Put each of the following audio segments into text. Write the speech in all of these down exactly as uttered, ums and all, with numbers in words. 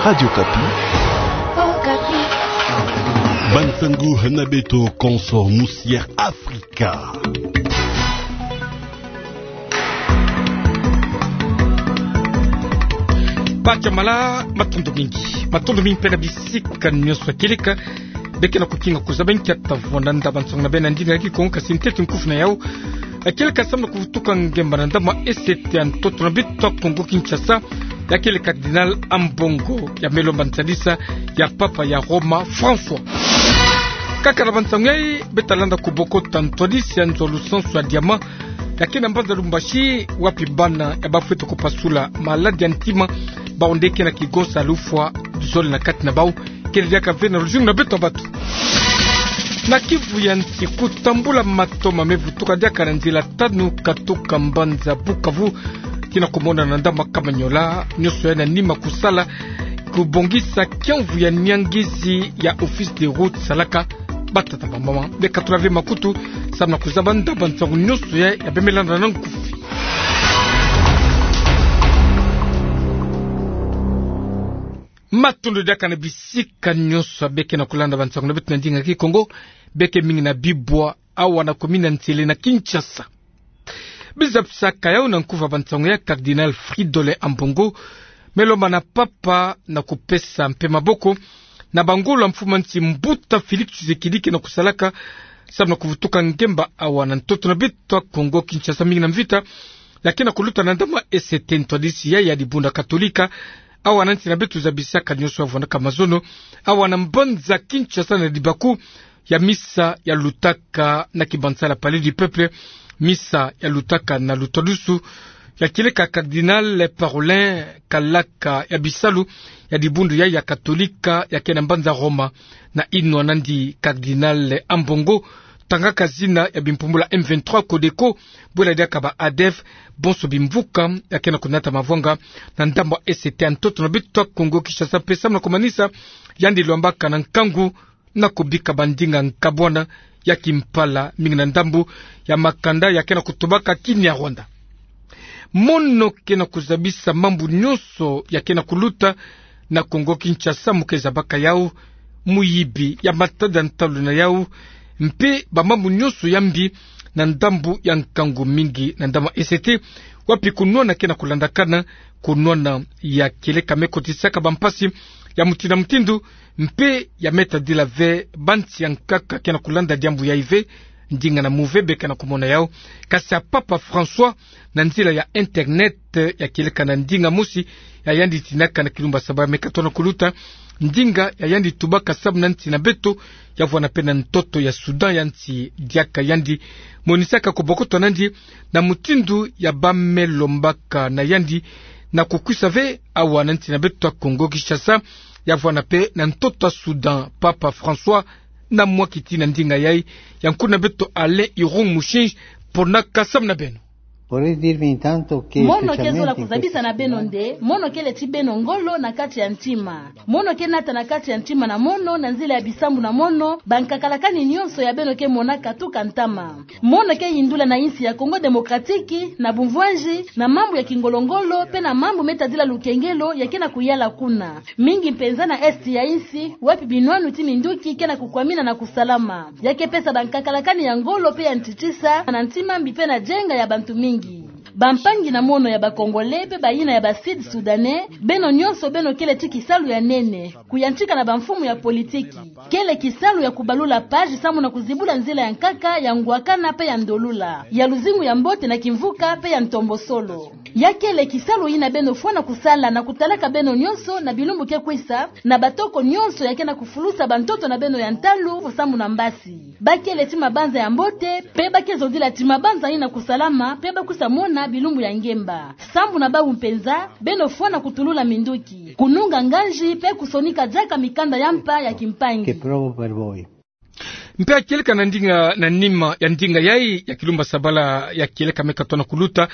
Radio Okapi. Bansangu na beto konso musi Air Afrika. Bacha mala, matondo mingi. Matondo mingi mpe na bisika nyonso ya kieleka. Beke na kukinga kuzaba nkia tavwanda nda bansangu na beno na ndinga ya Kikongo, kasi ntete nkufi na yau. Ya kieleka samu na kuvutuka ngemba na ndambu ya S T ya ntoto na beto ya Kongo Kinshasa, ya kele Cardinal Ambongo, ya me lomba ntadisi ya Papa ya Roma François. Kaka na bansangu yai, beta landa kubokota ntwadisi ya nzo lusansu ya diamant, ya ke na mbanza Lumbashi, wapi bana ya bafwete kupasula maladi ya ntima, bawu nde ke na kigonsa lufwa zole na kati na bawu, kele diaka ve na luzingu na beto ya bato. Na Kivu ya nsi, kutambula matoma me vutuka diaka na nzila tanu katuka mbanza Bukavu tii na kumona na ndambu ya Kamanyola, nyonso yai na nima kusala kubongisa kiamvu ya niangizi ya Office des Routes, salaka batata bamama. Beka tula ve makutu samu na kuzaba nda bansangu nyonso yai ya bemela na nkufi. Matondo diaka na bisika nyonso beke na kulanda bansangu na beto na ndinga ya Kikongo, beke mingi na Bibwa, awa na commune ya Nsele na Kinshasa. Biza pisaka yau na nkufi ya bansangu ya Cardinal Fridolin Ambongo, me lomba na Papa na kupesa mpe maboko na bangolo ya mfumu ya nsi Mbuta Félix Tshisekedi ke na kusalaka samu na kuvutuka ngemba awa na ntoto na beto ya Kongo Kinshasa, mingi na mvita ya ke na kuluta na ndambu ya S T. Ntwadisi yai ya dibundu ya Katolika awa na nsi na beto zabisaka nyonso ya vwandaka mazono awa na mbanza Kinshasa na libaku ya misa ya lutaka na kibanza ya Palais du Peuple, misa ya lutaka na lutwadusu ya kieleka Cardinal Parolin, kalaka ya bisalu ya dibundu yai ya Katolika ya ke na mbanza Roma. Na inwa nandi Cardinal Ambongo, tangaka zina ya bimpumbulu ya M vingt-trois Codeco, bwela diaka ba ADF, bonso bimvuka ya ke na kunata mavwanga na ndambu ya S T ya ntoto na beto ya Kongo Kinshasa, mpe samu na kumanisa yandi lwambaka na nkangu na kubika bandinga nkabwana ya kimpala, mingi na ndambu ya makanda ya ke na kutubaka Kinyarwanda. Mono ke na kuzabisa mambu nyonso ya ke na kuluta na Kongo Kinshasa, mu ke zabaka yau muyibi ya matada ntalu na yau, mpe bamambu nyonso ya mbi na ndambu ya nkangu, mingi na ndambu ya S T, wapi kunwana ke na kulandakana, kunwana ya kieleka me kotisaka bampasi ya mutindu na mutindu, mpe ya me tadila ve bansi ya nkaka ke na kulanda diambu yai ve. Ndinga na muve beke na kumona yau, kasi ya Papa François, na nzila ya internet, ya kieleka na ndinga mosi ya yandi tinaka na kilumbu ya saba me katona kuluta, ndinga ya yandi tubaka samu na nsi na beto, ya vwanda mpe na ntoto ya Soudan, ya nsi diaka yandi monisaka kubokota nandi na mutindu ya ba me lombaka na yandi na kukwisa ve awa na nsi na beto ya Kongo Kinshasa, ya vwanda mpe na ntoto ya Soudan. Papa François na mwa kiti na ndinga yai, ya nkuna beto Alain Irung Mushinji, ponaka samu na beno. Vorrei dirvi intanto che... Mono ke zola specialmente kuzabisa na beno nde mono kele ti beno ngolo na kati ya ntima. Mono ke nata na kati ya ntima na mono na nzila ya bisambu na mono bankakalakani nyonso ya beno ke monaka tuka ntama. Mono ke yindula na insi ya Congo Démocratique na bumvwanji, na mambu ya kingolongolo mpe na mambu me tadila lukengelo ya ke na kuyala kuna, mingi mpenza na Est ya insi, wapi binwanu ti minduki ke na kukwamina na kusalama. Ya ke pesa bankakalakani ya ngolo mpe ya ntitisa na ntima mbi mpe na jenga ya bantu mingi. Bampangi na mono ya ba Congolais mpe bayina ya ba Sud-Soudanais, beno nyonso beno kele ti kisalu ya nene, kuyantika na bamfumu ya politiki. Kele kisalu ya kubalula page samu na kuzibula nzila ya nkaka, ya ngwakana mpe ya ndolula, ya luzingu ya mbote na kimvuka mpe ya ntombosolo. Ya kele kisalu yina beno fwana kusala na kutalaka beno nyonso na bilumbu ke kwisa, na batoko nyonso ya ke na kufulusa bantoto na beno ya ntalu samu na mbasi. Ba kele ti mabanza ya mbote, mpe ba ke zodila ti mabanza yina kusalama, mpe ba kwisa mona bilumbu ya ngemba. Sambu na bawu mpenza, beno fwana kutulula minduki, kununga nganji, mpe kusonika diaka mikanda ya mpa ya kimpangi. Che provo per voi. Mpe ya kieleka na ndinga, na nima ya ndinga yai ya kilumbu ya sabala ya kieleka me katona kuluta,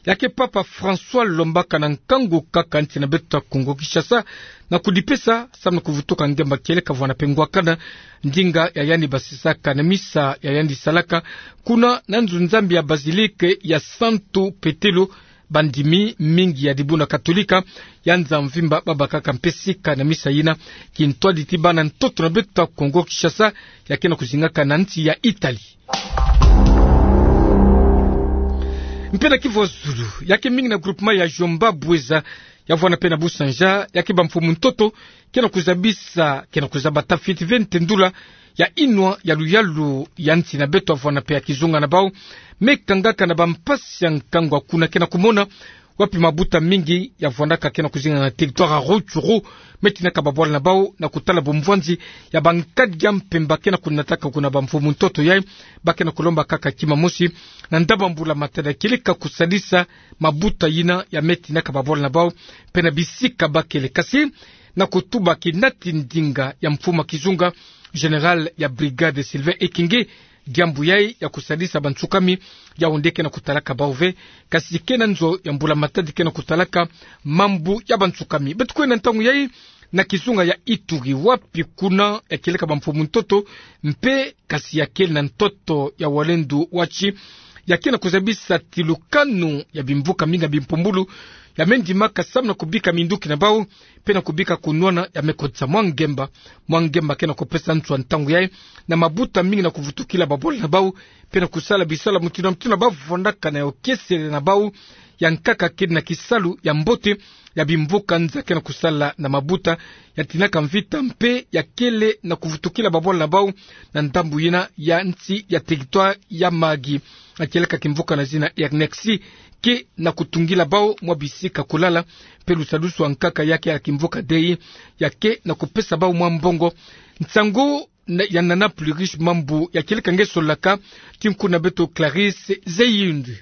ya ke Papa François lombaka na nkangu kaka nsi na beto ya Congo Kinshasa, na kudipesa samu na kuvutuka ngemba kieleka vwanda mpe ngwakana, ndinga ya yandi basisaka na misa ya yandi salaka kuna na nzu-Nzambi ya basilique ya Santu Petelo, Bandimi mingi ya dibundu katolika ya nza mvimba babakaka mpe sika na misa yina, kintwadi ti bana ntoto na beto ya Kongo Kinshasa, ya ke na kuzingaka na nsi ya Italie. Mpe na Kivu ya Zulu, ya ke mingi na groupement ya Jomba Bweza, ya vwanda mpe na Busanja, ya ke bamfumu ntoto ke na kuzabisa, ke na kuzaba tafiti ve ntendula ya inwa ya luyalu ya nsi na beto, ya vwanda mpe ya kizunga na bau me kangaka na bampasi ya nkangu ya kuna ke na kumona, wapi mabuta mingi ya vwandaka ke na kuzinga na territoire ya Rutshuru me tinaka babwala na bau na kutala bumvwanzi ya bankadi ya mpemba ke na kunataka kuna bamfumu ntoto yai. Ba ke na kulomba kaka kima mosi na ndaba mbula matadi ya kieleka kusadisa mabuta yina ya me tinaka babwala na bau mpe na bisika bakele. Kasi na kutuba kinati ndinga ya mfumu ya kizunga, général ya brigade Sylvain Ekenge, diambu yai ya kusadisa bansukami, yao nde ke na kutalaka bau ve, kasi ke na nzo ya mbula matadi ke na kutalaka mambu ya bansukami. Beto kwenda ntangu yai na kizunga ya Ituri, wapi kuna ya kieleka bamfumu ntoto mpe kasi ya kele na ntoto ya Walendu Watshi, ya ke na kuzabisa tilukanu ya bimvuka mingi ya bimpumbulu ya me ndimaka samu na kubika minduki na bau mpe na kubika kunwana ya me kotisa mwa ngemba. Mwa ngemba ke na kupesa nswa ntangu yai na mabuta mingi na kuvutukila babwala na bau mpe na kusala bisalu mutindu na mutindu ba vwandaka na yo kiesele na bau ya nkaka kele na kisalu ya mbote ya bimvuka nza ke na kusala na mabuta ya tinaka mvita mpe ya kele na kuvutukila babwala na bau na ndambu yina ya nsi ya territoire ya Mahagi. Ya kieleka kimvuka na zina Ernexi ke na kutungila bau mwa bisika kulala mpe lusadusu ya nkaka ya ke ya kimvuka dei ya ke na kupesa bau mwa mbongo. Nsangu na, ya Nana Pluriche Mambu ya kieleka nge solaka ti nkundu na beto Clarisse Zeyindu.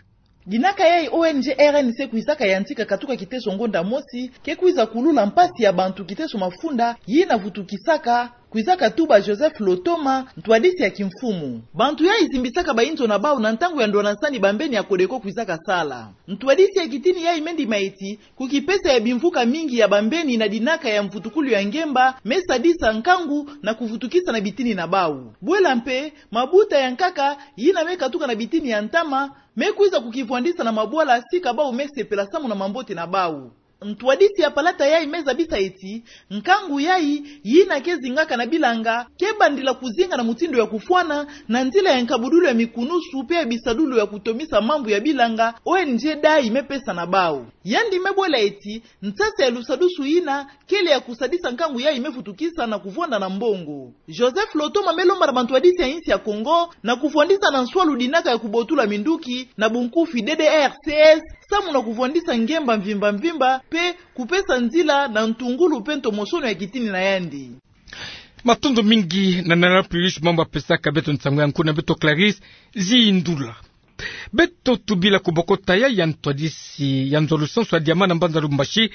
Dinaka yai O N G R N C kwizaka yantika katuka kiteso ngonda mosi, ke kwiza kulula mpasi ya bantu kiteso mafunda, yina vutukisaka, kwizaka tuba Joseph Lotoma, ntwadisi ya kimfumu. Bantu yai zimbisaka bayinzo na bau na ntangu ya ndwanasani bambeni ya Codeco kwizaka sala. Ntwadisi ya kitini yai me ndima eti, ku kipesa ya bimvuka mingi ya bambeni na dinaka ya mvutukulu ya ngemba, me sadisa nkangu na kuvutukisa na bitini na bau. Bwela mpe, mabuta ya nkaka, yina me katuka na bitini ya ntama, me kwiza kukivwandisa na mabwala sika bau me sepela samu na mambote na bau. Ntwadisi ya palata yai me zabisa eti, nkangu yai, yina ke zingaka na bilanga, ke bandila kuzinga na mutindu ya kufwana, na nzila ya nkabudulu ya mikunusu, mpe ya bisadulu ya kutomisa mambu ya bilanga, O N G D A I me pesa na bau. Yandi me bwela eti, nsasa ya lusadusu yina, kele ya kusadisa nkangu yai me vutukisa na kuvwanda na mbongo. Joseph Lotoma me lomba na bantwadisi ya insi ya Kongo, na kuvwandisa na nswalu dinaka ya kubotula minduki, na bunkufi D D R C S, samu na kuvwandisa ngemba mvimba mvimba, mpe kupesa nzila na ntungulu mpe ntomosono ya kitini na yandi. Matondo mingi na Nana Pluriche Mambu apesaka beto nsangu ya nkundu na beto Clarisse Zindula. Beto tubila ku bokota ya, ya ntwadisi ya nzo lusansu ya Diamant na mbanza Lubumbashi,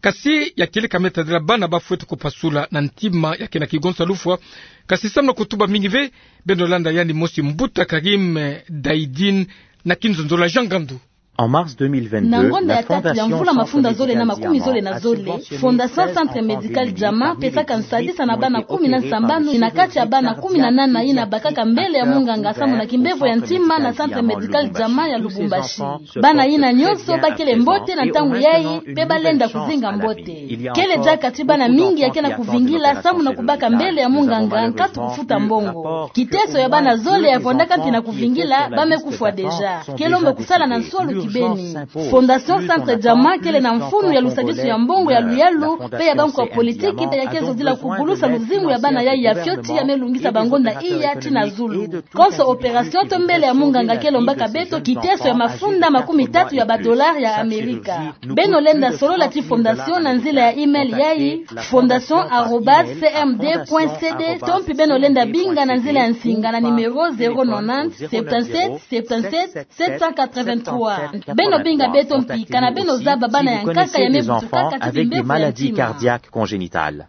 kasi ya kieleka me tadila bana ba fweti kupasula na ntima ya ke na kigonsa lufwa, kasi samu na kutuba mingi ve, beno landa yandi mosi mbuta Karim, eh, Daidine na kinzonzolo ya Jean Ngandu. En mars deux mille vingt-deux, na ngonda ya tatu ya mvula mafunda zole na makumi zole na zole, Fondation Centre Médical Diamant pesaka nsadisa na bana kumi na sambanu, na kati ya bana kumi na nana yina bakaka mbele ya munganga samu na kimbevo ya ntima na Centre Médical Diamant ya Lubumbashi. Bana yina nyonso bakele mbote na ntangu yai, mpe balenda kuzinga mbote. Kele diaka ti bana mingi ya ke na kuvingila samu na kubaka mbele ya munganga nkatu kufuta mbongo. Kiteso ya bana zole ya vwandaka mpi na kuvingila, ba me kufwa déjà. Ke lomba kusala na nswalu kibeni. Fondation Centre Diamant kele na mfunu ya lusadisu ya mbongo ya luyalu, mpe ya banko ya politiki, mpe ya ke zodila kugulusa luzingu ya bana yai ya fioti ya me lungisa bangonda iya tii na zulu. Konso opération to mbele ya munganga ke lombaka beto kiteso ya mafunda makumi tatu ya ba dollars ya Amerika. Beno lenda solola ti fondation na nzila ya email yai, fondation arobase C M D point C D, to mpi beno lenda binga na nzila ya nsinga na numéro zéro nonante, septante-sept, septante-sept, sept cent quatre-vingt-trois. Beno binga beto mpi kana beno zaba bana ya nkaka ya me butukaka ti bimbevo ya ntima.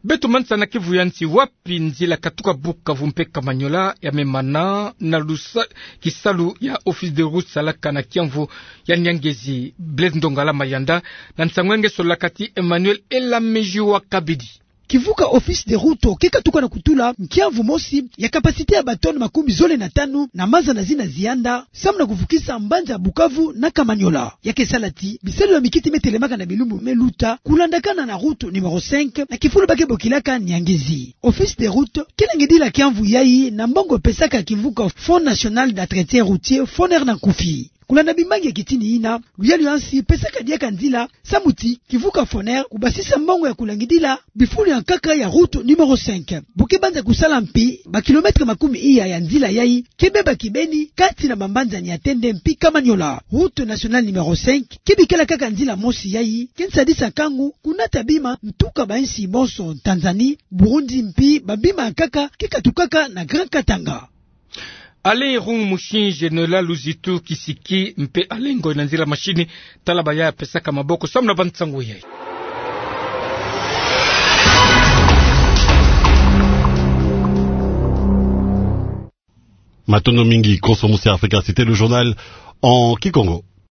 Beto manisa na kivu ya nsi, wapi nzila katuka Bukavu mpe Kamanyola ya me mana na lusa, kisalu ya Office des routes salaka na kiamvu ya Nyangezi, Blaise Ndongala Mayanda, na nsangu ya nge solaka ti Emmanuel Elamiji wa Kabedi. kivuka Office des Routes ke katuka na kutula nkiamvu mosi ya capacité ya ba tonnes makumi zole na tanu na maza na zina zianda, samu na kuvukisa mbanza Bukavu na Kamanyola. Ya ke sala ti bisalu ya mikiti me telemaka na bilumbu me luta, kulandakana na route numéro cinq, na kifulu ba ke bokilaka Niangezi. Office des Routes ke langidila kiamvu yayi na mbongo pesaka kivuka Fonds National d'Entretien Routier, FONER na nkufi. Kulanda bimbangi ya kitini yina, luyalu ya nsi pesaka diaka nzila, samu ti kivuka FONER kubasisa mbongo ya kulangidila bifulu ya nkaka ya route numéro cinq. Bu ke banza kusala mpi, ba kilomètres makumi iya ya nzila yayi ke beba kibeni kati na bambanza Niatende mpi Kamanyola. Route nationale numéro cinq ke bikala kaka nzila mosi yayi ke nsadisa nkangu kunata bima ntuka ba nsi bonso, Tanzanie, Burundi mpi babima ya nkaka ke katukaka na Grand Katanga. Alain Irung Musinje, Noëlla Luzitu Kisiki mpe Alain Ngoy na nzila machine, tala ba ya pesaka maboko samu na ba nsangu yayi. Matondo mingi, konso musi Afrika, c'était le journal en kikongo.